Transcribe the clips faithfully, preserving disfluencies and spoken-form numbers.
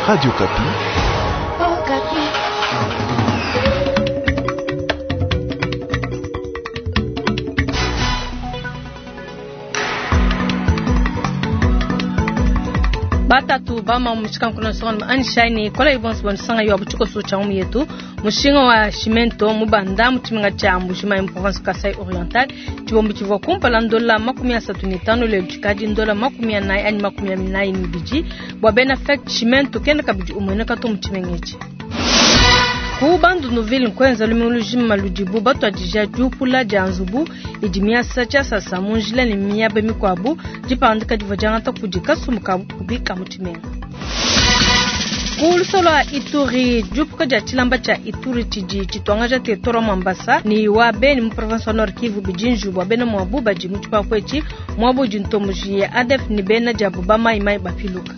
Radio Okapi. Batatu bama mushika nkuno songa anishani kola ibonso bonisanga yo abuchiko so cha yetu mushinga wa cimento mubanda muchiminga cha Mbujimayi mu province Kasai Oriental chibombo chivwa kumpala ndola makumi asatu ni tano lelo chikadi ndola makumi anayi ani makumi anayi ni biji bwa bena fek cimento kenda kabidi umweneka to muchimengechi ku Bandundu-ville nkwenza lumingu lujima ludibu batwadija diupula dia nzubu idi miasa tshiasasa mu njila ne miaba mikuabu dipandika divua diangata kudi kasumbu ka bukubi ka mu tshimenga. Ku lusolo lua Ituri diupuka dia tshilamba tshia Ituri tshidi tshituangaja territoire wa Mambasa ni wa Beni mu province wa Nord Kivu bidi njubu bua bena muabu badi mu tshipapu etshi muabu udi ntomboji ya A D F ne bena diabu ba mai mai bapiluka.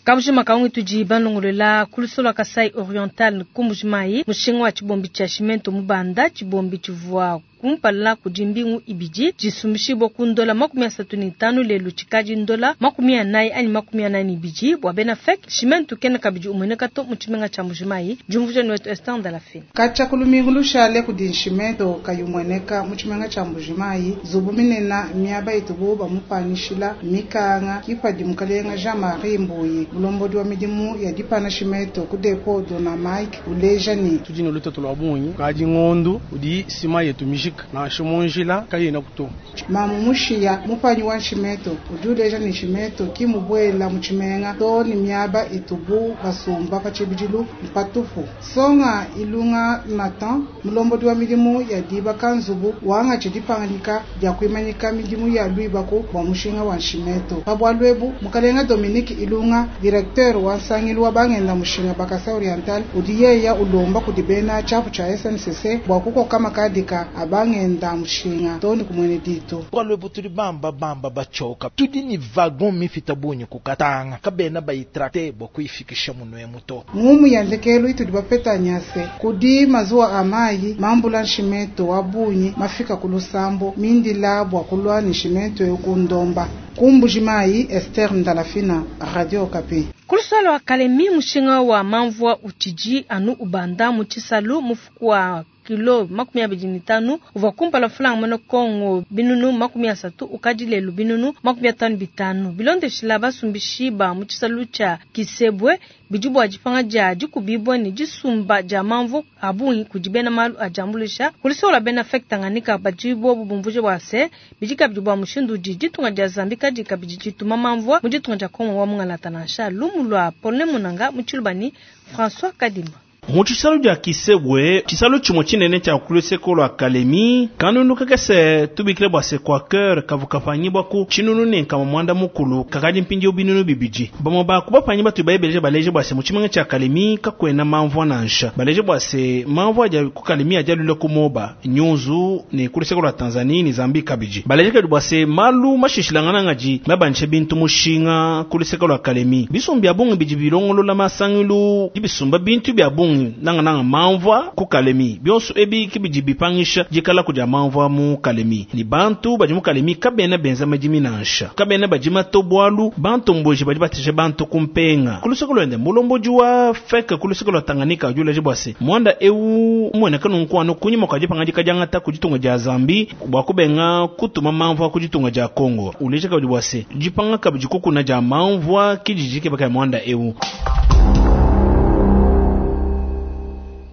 Kabujima kaungi tudi banlongolola ku lusolo lua Kasai Oriental ku Mbujimayi mushinga wa tshibombi tshia cimento mubanda tshibombi tshivua kumpala kudi mbingu ibidi disumbishibua ku ndola makumi asatu ne tanu lelu tshikadi ndola makumi anayi anyi makumi anayi ne ibidi bua bena fek cimento kena kabidi umueneka to mu tshimenga tshia Mbujimayi. Diumvuija ni wetu Esther Ndalafine. Katshia ku lumingu lushale kudi nshimento kayumueneka mu tshimenga tshia Mbujimayi nzubu minene miaba itubu bamupanyishila mikanga kipadi mukalenga Jean-Marie Mbuyi mulombodi wa midimu ya dipana cimento ku depot Dona Mike uleja ni tudi ne lutatu lua bungi kadi ngondu udi sima yetu mijika nansha mu njila kayena kuto. Mamu mushiya mupanyi wa nshimento udi uleja ni nshimento kimubwela mu tshimenga to ni miaba itubu basumba pa tshibidilu mpatupu. Songa Ilunga Nathan mulombodi wa midimu ya dibaka nzubu wanga tshidipanganyika dia kuimanyika midimu ya luibaku bua mushinga wa nshimento. Pa bualu ebu mukalenga Dominique Ilunga directeur wa nsangilu wa bangenda mushinga ba Kasai Oriental udi yeya ulomba kudi bena tshiapu tshia S N C C bua kukoka makadika a bangenda mushinga to ni kumwene dito. Bualu ebu tudi bamba bamba bachoka tudi ni wagon mifita bunyi kukatanga kabena bayitracte bua kuyifikisha munwe muto. Ngumu ya ndekelu itudi bapeta nyase kudi mazuwa a mayi mambula nshimento wa bunyi mafika ku lusambo mindila bua kulwa ni nshimento yo ku ndomba. Ku Mbujimayi, Esther Ndalafina, Radio Okapi. Ku lusolo wa Kalemi mushinga wa mamvua utshidi anu ubanda mu tshisalu mufuku wa kilo makumi abidi ne tanu uvua kumpala mfulanga muena Kongo binunu makumi asatu ukadi lelu binunu makumi atanu bitanu bilondeshila basumbishi ba mu tshisalu tshia Kisebwe bidi bua dipanga dia dikubibua ne disumba dia mamvu a bungi kudi bena malu a diambuluisha ku lusolo lua bena FEC Tanganyika badi bobu bumvuje bua se bidi kabidi bua mushindu udi ditunga dia Zambie kadi kabidi dituma mamvua mu ditunga dia Kongo wa mungalata nansha lumu lua Paulin Munanga mu tshiluba ni François Kadima. Mu tshisalu dia Kisebwe tshisalu tshimue tshinene tshia ku luseke lua Kalemi kanunu kakese tubikile bua se quaker kavu kapanyibua ku tshinunu ne nkama muanda mukulu kakadi mpindieu binunu bibidi bamue ba ku bapanyi batu bayebeleje baleje bua se mu tshimenga tshia Kalemi kakuena mamvua nansha baleje bua se mamvua adi ku Kalemi adi alule ku Moba Nyunzu ne ku luseke lua Tanzanie ne Zambie kabidi baleje kabidi bua se malu mashishilangana ngadi mabandishe bintu mushinga ku luseke lua Kalemi bisumbu bia bungi bidi bilongolola masangilu dibisumba bintu bia bungi nanga nanga mamvua ku Kalemi bionso ebi kibidi bipangisha dikala kudia mamvua mu Kalemi ni bantu badi mu Kalemi kabena benza madimi nansha kabena badima to bualu bantu mboji badi bateshe bantu kumpenga ku luseke luende mulombodi wa FEC ku luseke lua Tanganyika udi uleja bua se muanda eu umueneka nunku anu kunyima kua dipangadika diangata ku ditunga dia Zambie bua kubenga kutuma mamvua ku ditunga dia Congo uleja kabidi bua se dipanga kabidi kukuna dia mamvua kididi kebaka muanda eu.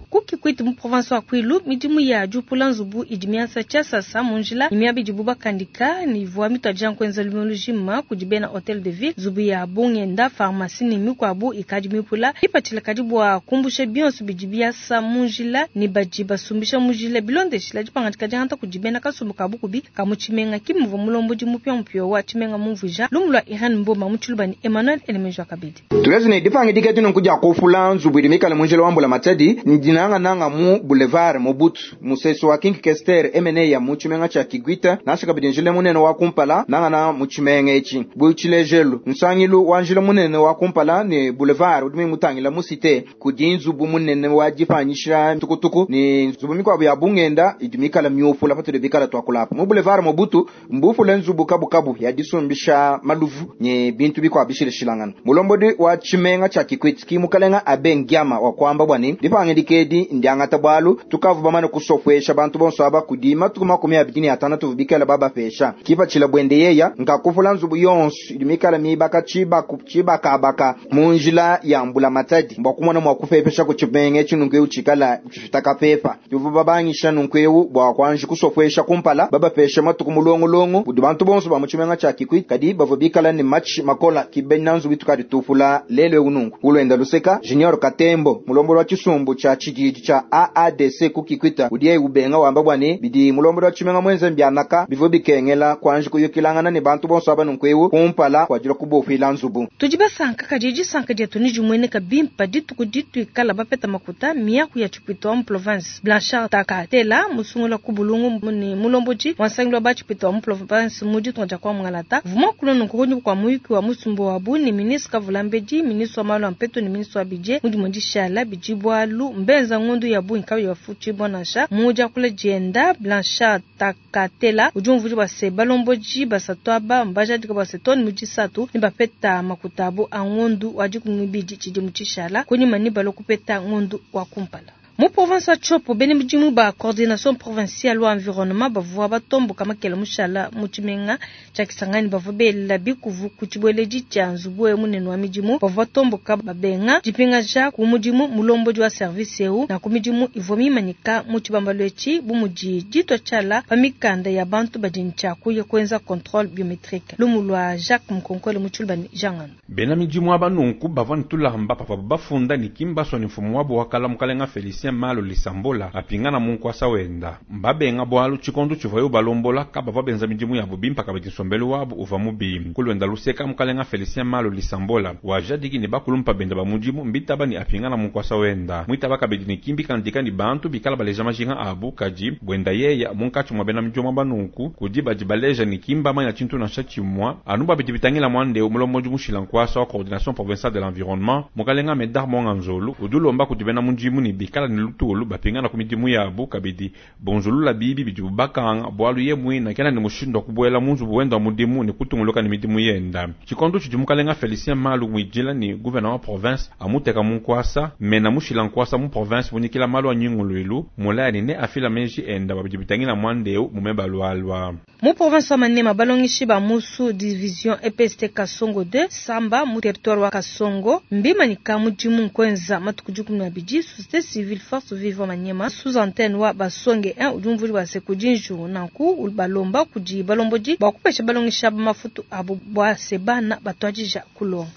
Ku Kikwit mu province wa Kwilu midimu ya diupula nzubu idi miasa tshiasasa mu njila ne miaba idibu bakandika ne ivua mituadija nkuenza lumingu lujima kudi bena hotel de ville nzubu ya bungenda pharmacie ne mikuabu ikadi mipula ipatshila kadi bua kumbusha bionso bidi biasa mu njila ne badi basumbisha mu njila bilondeshila dipangadika diangata kudi bena kasumbu ka bukubi ka mu tshimenga kimuvua mulombodi mupiamupia wa tshimenga mumvuija lumu lua Irene Mboma mu tshiluba ni Emmanuel Elemejo kabidi. Tulezi ne dipangidika dino kudia kufula nzubu idi mikale mu njila wa mbula matadi ndinanga Nanga mu boulevard Mobutu, musesu wa King Kester Emeneya mu tshimenga tshia Kikwit, nansha kabidi njila munene wa kumpala nangana mu tshimenga etshi. Bu tshilejelu, nsangilu wa njila munene wa kumpala ne boulevard udi mutangila mu cité kudi nzubu munene wa dipanyisha tukutuku ne nzubu mikuabu ya bungenda idi mikala miupula patudi bikala tuakulapa. Mu boulevard Mobutu mbufule nzubu kabukabu ya disumbisha maluvu ne bintu bikuabu bishilashilangana. Mulombodi wa tshimenga tshia Kikwit ki mukalenga Abe Ngiama wa kuamba bwa ne dipangidika edi ndiangata bwalu tukavu bamane kusopwesha bantu bonso aba kudi matuku makumi abidi ne atanu tuvubikela babapesha. Kipatshila bwende yeya nkakufula nzubu yonso idi mikala mibaka tshibaku tshibakabaka mu njila ya mbula matadi bwa kumona mwa kupepesha ku tshimenga etshi nunku eu tshikala tshifita kapepa. Tuvu babangisha nunku eu bwa kwanji kusopwesha kumpala babapesha matuku mulongolongo budi bantu bonso ba mu tshimenga tshia Kikwit kadi bavua bikala ne matshi makola kibena nzubu itukadi tufula lelo eu nunku. Ulwenda luseka Junior Katembo mulombolo wa tshisumbu tshia tshididi tshia A A D C ku Kikwit udiye ubenga wamba bwa ne bidi mulombolo wa tshimenga mwenze mbianaka bivua bikengela kwanji kuyukilangana ne bantu bonso aba nunku eu kumpala kwa dila kubofila nzubu. Tudi basanka kadi disanka dietu ni dimueneka bimpa dituku dituikala bapeta makuta miaku ya tshipito wa mu province. Blanchard Takatela musungula ku bulungu ne mulombodi wa nsangilu wa ba tshipito wa mu province mu ditunga dia kwa Mungalata. Vuma kulo nunku kunyi kwa muyuki wa musumbu wa bu ni ministre Kavulambedi, ministre wa malu a mpeto ne ministre wa budget mu dimue dishala bidi bwalu mbenza ngondu ya bungi kabi bafuti bonasha mu diakula dienda. Blanchard Takatela udi umvuija bua se balombodi basatu aba mbajadika bua se toni mu disatu ne bapeta makuta abo a ngondu wa dikumi ibidi tshidimu tshishala kunyima ne balua kupeta ngondu wa kumpala. Mu province wa Tshopo, bene mudimu ba coordination provinciale wa environnement bavua batomboka makela mushala mu tshimenga tshia Kisangani bavua bela bikuvu ku tshibueledi tshia nzubu eu munene wa midimu. Bavua batomboka babenga dipingaja ku mudimu mulombodi wa service eu na ku midimu ivua mimanyika mu tshibambalu etshi bu mudi ditua tshiala pa mikanda ya bantu badi ne tshia kuya kuenza contrôle biométrique. Lumu lua Jacques Mukonkole mu Tshilubani Jangano. Bena midimu aba nunku bavua ne tulamba pavua bafunda ne kimbaso ne mfumu wabo wa kala mukalenga Felicien Malo Lisambola apingana mu nkwasa wenda. Mbabenga bwalu tshikondo tshivua yo balombola kabavua benza midimu yabo bimpa kabidi nsombelu wabu uva mubi. Kulwenda luseka mukalenga Felicien Malo Lisambola wajadiki ne bakulumpa benda ba mudimu mbitaba ni apingana mu nkwasa wenda. Mwitaba kabidi ne kimbi kandika ni bantu bikala baleja majinga abu kadi bwenda yeya munkatshi mwa bena midimu banunku kudi badi baleja ni kimba manya tshintu nansha tshimwa anu babidi bitangila mwande mulombodi mushila nkwasa wa coordination provinciale de l'environnement mukalenga Medar Monganzolu udulomba kudi bena mudimu ni bikala ni lutulu bapingana ku midimu yabu kabidi bonzulula bibi bidi bakanga bwalu ye mwina kena ni mushindo kubwela munzu wenda mudimu ni kutunguluka ni midimu yenda. Tshikondo tshidi mukalenga Felicien Malu mwijila ni gouverneur wa province amuteka munkwasa mena mushila nkwasa mu province munyikila malu anyinguluilu mulani ne afila menji enda babidi bitangila mwandeu mumeba lwalwa. Mu province wa Maniema balongishi ba musu division E P S T Kasongo deux Samba mu territoire wa Kasongo mbimanyika mudimu nkwenza matuku dikumi na abidi société civile force vive Maniema sous antenne wa basonge un udi umvuli wa sekudinju nanku balomba kudi balombodi bwa kupesha balongisha ba mafutu abo bwa sebana batwajija kulonga.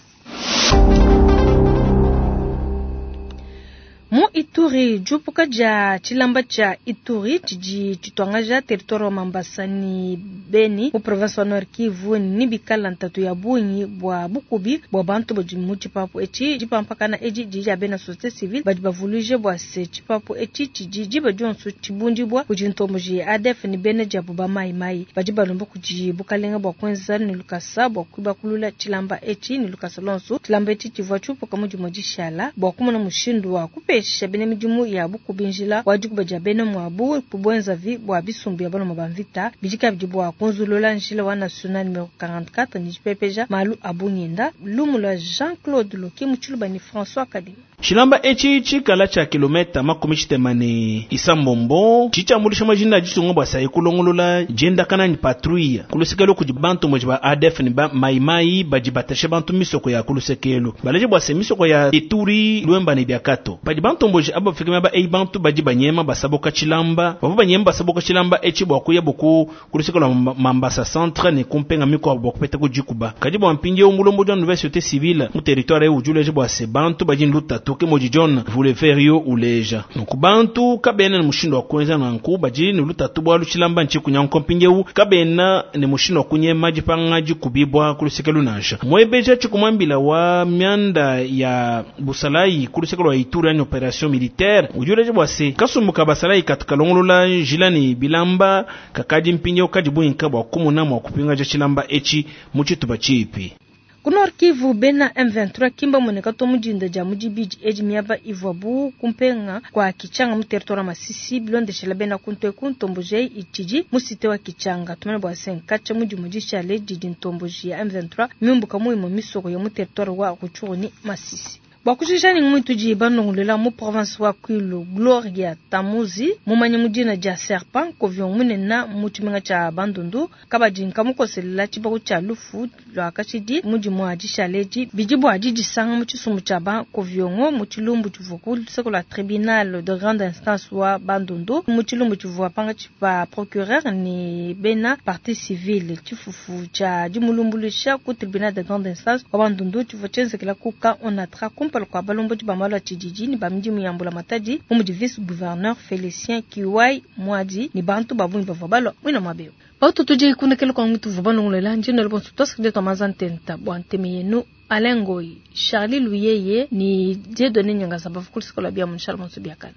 Mu Ituri, jupuka dia tshilamba tshia Ituri tshidi tshituangaja territoire wa Mambasa ni Beni mu province wa Nord Kivu ni bikala ntatu ya bungi bwa bukubi bwa bantu badi mu tshipapu etshi dipampakana edi didi bena société civile badi bavuluije bua se tshipapu etshi tshidi diba dionso tshibundibua kudi ntomboji ya A D F ni bena diabu ba mai mai badi balomba kudi bukalenga bua kuenza ne lukasa bua kuibakulula tshilamba etshi ne lukasa lonso. Tshilamba etshi tshivua tshiupuka mu dimue dishala bua kumona mushindu wa kupesha bene midimu ya bukubinjila wa dikuba dia bene mwabu kubwenza vi bwa bisumbu ya baloma ba mvita bidika bidi bua kunzulula njila wa national numero quarante-quatre ni jipepeja malu abunyenda lumu lwa Jean-Claude Loki mutshiluba ni François Kadima. Tshilamba etshi tshikala tshia kilometa makumi tshitema ne isambombo tshitshambulisha majina ditunga bua sayi kulongolola diendakana ni patrouille kulusekelo kudi bantu moji ba A D F ni ba maimai badi batashe bantu misoko ya kulusekelo baleje bua se misoko ya Ituri Lwemba ne Biakato badi bantu mboji aba fikima ba ei bantu badi banyema basaboka tshilamba bavua banyema basaboka tshilamba etshi bua kuya boku kulusekelo Mambasa centre ne kumpenga miko bua kupeta kujikuba kadi bua mpindieu mulombo wa nouvelle société civile mu territoire eu ujuleje bua se bantu badi nlutatu lutatu ke mudi John Vuleverio uleja. Nunku bantu kabena ne mushindu wa kuenza nanku, badi ne lutatu bwalu tshilamba ntshikunyanguka mpindieu, kabena ne mushindu wa kunyema dipanga dikubibwa ku luseke lunansha. Mwebeja tshikumwambila wa mianda ya busalayi ku luseke lwa Ituri anyi operation militaire udi uleja bwa se kasumbu ka basalayi katu kalongolola njila ne bilamba kakadi mpindieu kadi buinka bwa kumuna mwa kupingaja tshilamba etshi mu tshitupa tshipi. Ku Nord Kivu bena M vingt-trois kimba moneka to mudinda dia mudibidi edi miaba ivwabu kumpenga kwa Kichanga mu territoire Masisi bilondeshela bena kuntwe ku ntomboji itshidi mu cité wa Kichanga tumene bwa senkacha mudi mudishale didi ntomboji ya M vingt-trois miumbuka muimo misoko ya mu territoire wa Rutshuru ni Masisi. Bwa kushikisha ni mwitu di banongolela mu province wa Kwilu Gloria Tamuzi mumanye mudina dia Serpent kovion munena mu tshimenga tshia Bandundu kabadi nkamukoselela tshibaku tshia lufu lwa kashidi mudi mwa dishaleji bidi bwa didisanga mu tshisumbu tshia ba koviongo mu tshilumbu tshivua ku luseke lwa tribunal de grande instance wa Bandundu mu tshilumbu tshivua panga tshipa procureur ni bena partie civile tshifufu tshia dimulumbulusha ku tribunal de grande instance wa Bandundu tshivua tshenzekela kuka onatra kumpala kwa balombo ba malu a tshididi ni ba midimu ya mbula matadi mu mudi vice gouverneur Félicien Kiwai Mwadi ni bantu babungi bavua balua mwina mwabeo. Bautu tudi kunekela kwa mtu vuba nongolela njino lebonso twasakide twa mazantenta bwa nteme yenu Alain Ngoyi, Charlie Luyeye ni Dieudonné Nyangaza bavukulisa kola bia munshala bonso biakana.